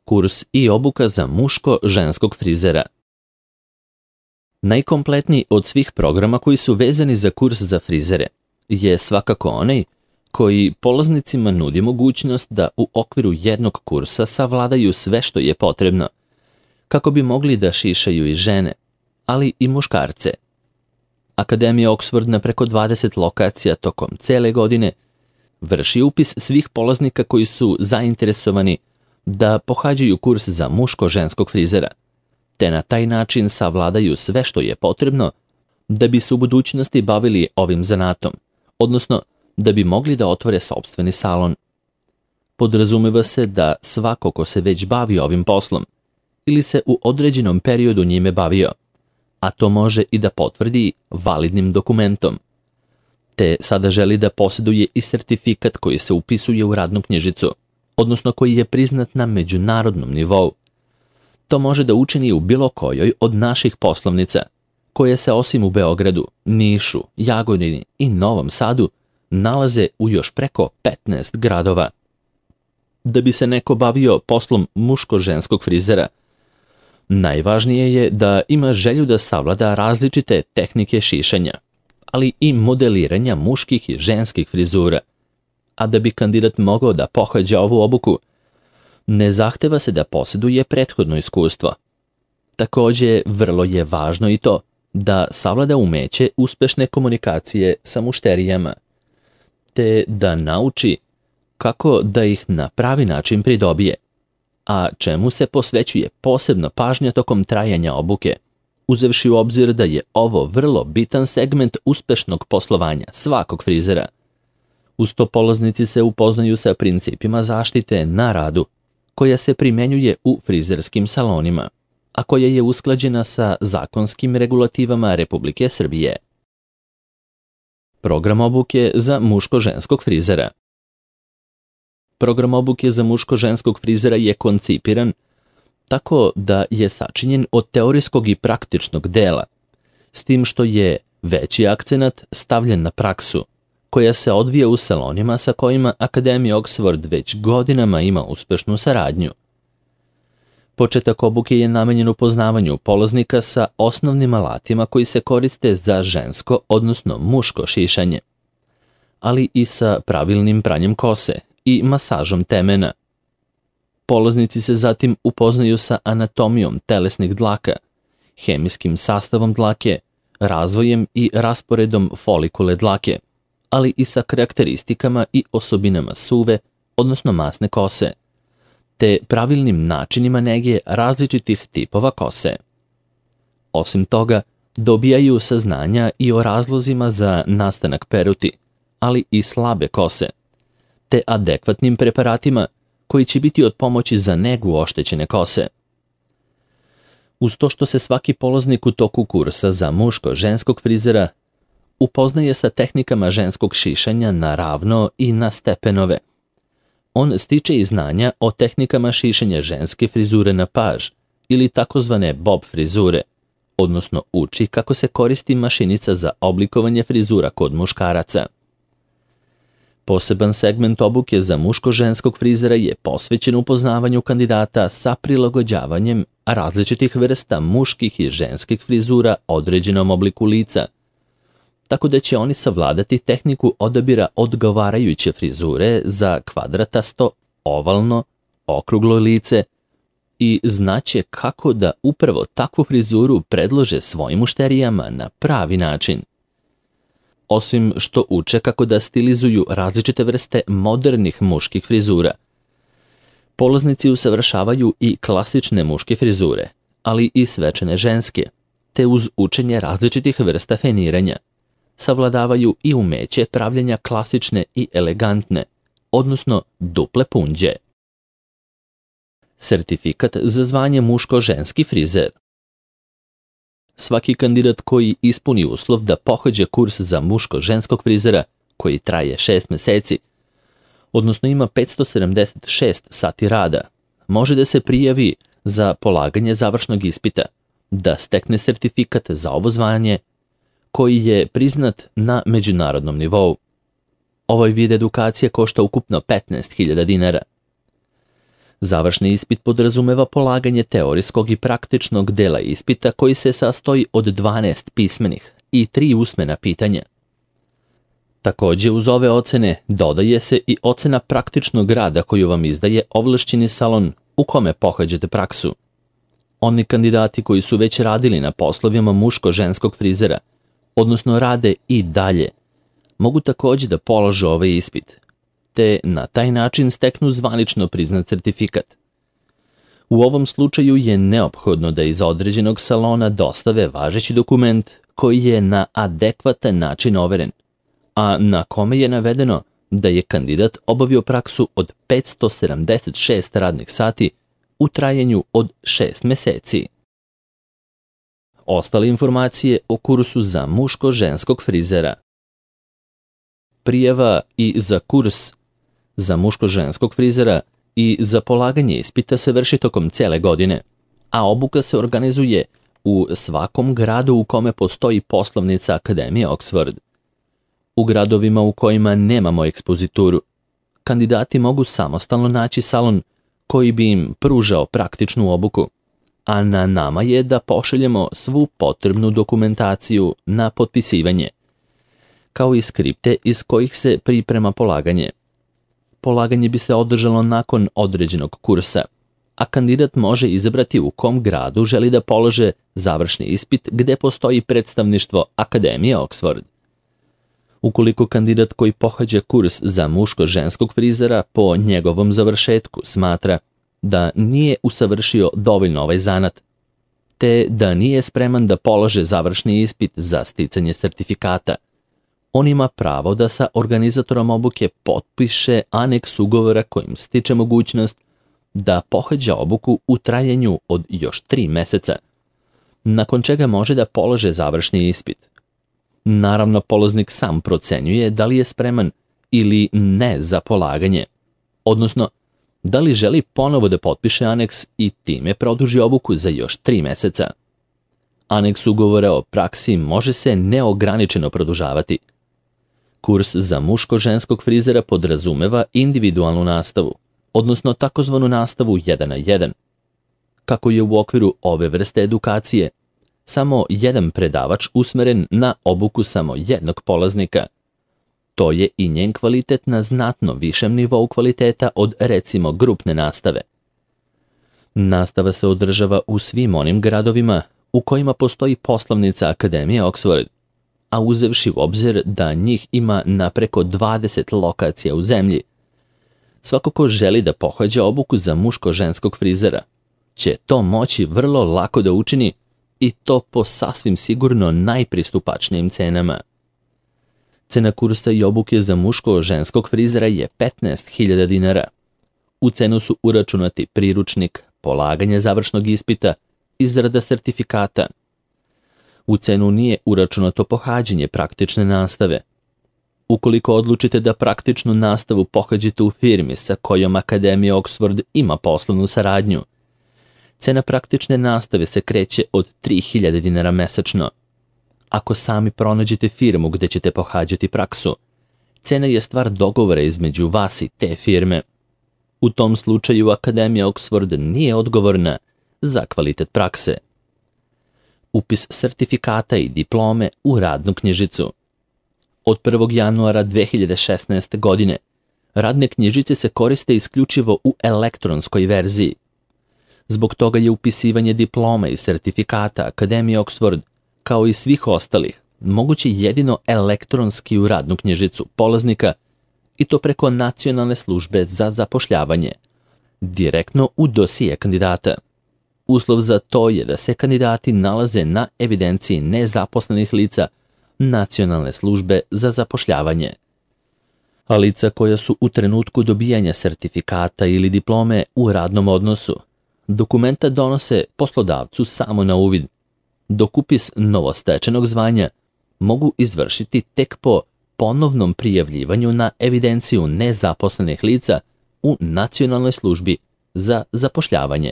kurs i obuka za muško-ženskog frizera. Najkompletniji od svih programa koji su vezani za kurs za frizere je svakako onaj koji polaznicima nudi mogućnost da u okviru jednog kursa savladaju sve što je potrebno, kako bi mogli da šišaju i žene, ali i muškarce. Akademija Oxford na preko 20 lokacija tokom cele godine vrši upis svih polaznika koji su zainteresovani da pohađaju kurs za muško-ženskog frizera, te na taj način savladaju sve što je potrebno da bi se u budućnosti bavili ovim zanatom, odnosno da bi mogli da otvore sopstveni salon. Podrazumeva se da svako ko se već bavi ovim poslom ili se u određenom periodu njime bavio, a to može i da potvrdi validnim dokumentom, te sada želi da posjeduje i sertifikat koji se upisuje u radnu knjižicu, odnosno koji je priznat na međunarodnom nivou. To može da učini u bilo kojoj od naših poslovnica, koje se osim u Beogradu, Nišu, Jagodini i Novom Sadu nalaze u još preko 15 gradova. Da bi se neko bavio poslom muško-ženskog frizera, najvažnije je da ima želju da savlada različite tehnike šišanja, ali i modeliranja muških i ženskih frizura. A da bi kandidat mogao da pohađa ovu obuku, ne zahteva se da posjeduje prethodno iskustvo. Također, vrlo je važno i to da savlada umeće uspešne komunikacije sa mušterijama, te da nauči kako da ih na pravi način pridobije, a čemu se posvećuje posebna pažnja tokom trajanja obuke, uzevši u obzir da je ovo vrlo bitan segment uspešnog poslovanja svakog frizera. Uz to polaznici se upoznaju sa principima zaštite na radu, koja se primenjuje u frizerskim salonima, a koja je usklađena sa zakonskim regulativama Republike Srbije. Program obuke za muško-ženskog frizera. Program obuke za muško-ženskog frizera je koncipiran tako da je sačinjen od teorijskog i praktičnog dela, s tim što je veći akcenat stavljen na praksu, koja se odvija u salonima sa kojima Akademija Oxford već godinama ima uspešnu saradnju. Početak obuke je namenjen upoznavanju polaznika sa osnovnim alatima koji se koriste za žensko, odnosno muško šišanje, ali i sa pravilnim pranjem kose i masažom temena. Polaznici se zatim upoznaju sa anatomijom telesnih dlaka, hemijskim sastavom dlake, razvojem i rasporedom folikule dlake, ali i sa karakteristikama i osobinama suve, odnosno masne kose, te pravilnim načinima nege različitih tipova kose. Osim toga, dobijaju saznanja i o razlozima za nastanak peruti, ali i slabe kose, te adekvatnim preparatima koji će biti od pomoći za negu oštećene kose. Uz to što se svaki polaznik u toku kursa za muško-ženskog frizera upoznaje sa tehnikama ženskog šišanja na ravno i na stepenove, on stiče i znanja o tehnikama šišanja ženske frizure na paž ili takozvane bob frizure, odnosno uči kako se koristi mašinica za oblikovanje frizura kod muškaraca. Poseban segment obuke za muško-ženskog frizera je posvećen upoznavanju kandidata sa prilagođavanjem različitih vrsta muških i ženskih frizura određenom obliku lica, tako da će oni savladati tehniku odabira odgovarajuće frizure za kvadratasto, ovalno, okruglo lice i znaće kako da upravo takvu frizuru predlože svojim mušterijama na pravi način. Osim što uče kako da stilizuju različite vrste modernih muških frizura, polaznici usavršavaju i klasične muške frizure, ali i svečane ženske, te uz učenje različitih vrsta feniranja savladavaju i umeće pravljenja klasične i elegantne, odnosno duple punđe. Sertifikat za zvanje muško-ženski frizer. Svaki kandidat koji ispuni uslov da pohađa kurs za muško-ženskog frizera, koji traje 6 meseci, odnosno ima 576 sati rada, može da se prijavi za polaganje završnog ispita, da stekne sertifikat za ovo zvanje, koji je priznat na međunarodnom nivou. Ovaj vid edukacije košta ukupno 15.000 dinara. Završni ispit podrazumeva polaganje teorijskog i praktičnog dela ispita koji se sastoji od 12 pismenih i 3 usmena pitanja. Također uz ove ocene dodaje se i ocena praktičnog rada koju vam izdaje ovlašćeni salon u kome pohađate praksu. Oni kandidati koji su već radili na poslovima muško-ženskog frizera, odnosno rade i dalje, mogu također da polože ovaj ispit, te na taj način steknu zvanično priznat certifikat. U ovom slučaju je neophodno da iz određenog salona dostave važeći dokument koji je na adekvatan način overen, a na kome je navedeno da je kandidat obavio praksu od 576 radnih sati u trajanju od 6 meseci. Ostale informacije o kursu za muško-ženskog frizera. Prijava i za kurs za muško-ženskog frizera i za polaganje ispita se vrši tokom cijele godine, a obuka se organizuje u svakom gradu u kome postoji poslovnica Akademije Oxford. U gradovima u kojima nemamo ekspozituru, kandidati mogu samostalno naći salon koji bi im pružao praktičnu obuku, a na nama je da pošaljemo svu potrebnu dokumentaciju na potpisivanje, kao i skripte iz kojih se priprema polaganje. Polaganje bi se održalo nakon određenog kursa, a kandidat može izabrati u kom gradu želi da polože završni ispit gde postoji predstavništvo Akademije Oxford. Ukoliko kandidat koji pohađa kurs za muško-ženskog frizera po njegovom završetku smatra da nije usavršio dovoljno ovaj zanat, te da nije spreman da polože završni ispit za sticanje sertifikata, on ima pravo da sa organizatorom obuke potpiše aneks ugovora kojim stiče mogućnost da pohađa obuku u trajanju od još 3 meseca, nakon čega može da polože završni ispit. Naravno, polaznik sam procenjuje da li je spreman ili ne za polaganje, odnosno da li želi ponovo da potpiše aneks i time produži obuku za još 3 meseca. Aneks ugovora o praksi može se neograničeno produžavati. Kurs za muško-ženskog frizera podrazumeva individualnu nastavu, odnosno takozvanu nastavu 1 na 1. Kako je u okviru ove vrste edukacije samo jedan predavač usmeren na obuku samo jednog polaznika, to je i njen kvalitet na znatno višem nivou kvaliteta od recimo grupne nastave. Nastava se održava u svim onim gradovima u kojima postoji poslovnica Akademije Oxford, a uzevši u obzir da njih ima na preko 20 lokacija u zemlji. Svako ko želi da pohađa obuku za muško-ženskog frizera će to moći vrlo lako da učini i to po sasvim sigurno najpristupačnijim cenama. Cena kursa i obuke za muško-ženskog frizera je 15.000 dinara. U cenu su uračunati priručnik, polaganje završnog ispita, izrada sertifikata. U cenu nije uračunato pohađanje praktične nastave. Ukoliko odlučite da praktičnu nastavu pohađate u firmi sa kojom Akademija Oxford ima poslovnu saradnju, cena praktične nastave se kreće od 3.000 dinara mesečno. Ako sami pronađete firmu gde ćete pohađati praksu, cena je stvar dogovora između vas i te firme. U tom slučaju Akademija Oxford nije odgovorna za kvalitet prakse. Upis sertifikata i diplome u radnu knjižicu. Od 1. januara 2016. godine radne knjižice se koriste isključivo u elektronskoj verziji. Zbog toga je upisivanje diploma i sertifikata Akademije Oxford, kao i svih ostalih, moguće jedino elektronski u radnu knjižicu polaznika i to preko Nacionalne službe za zapošljavanje, direktno u dosije kandidata. Uslov za to je da se kandidati nalaze na evidenciji nezaposlenih lica Nacionalne službe za zapošljavanje. A lica koja su u trenutku dobijanja sertifikata ili diplome u radnom odnosu, dokumenta donose poslodavcu samo na uvid, dok upis novostečenog zvanja mogu izvršiti tek po ponovnom prijavljivanju na evidenciju nezaposlenih lica u Nacionalnoj službi za zapošljavanje.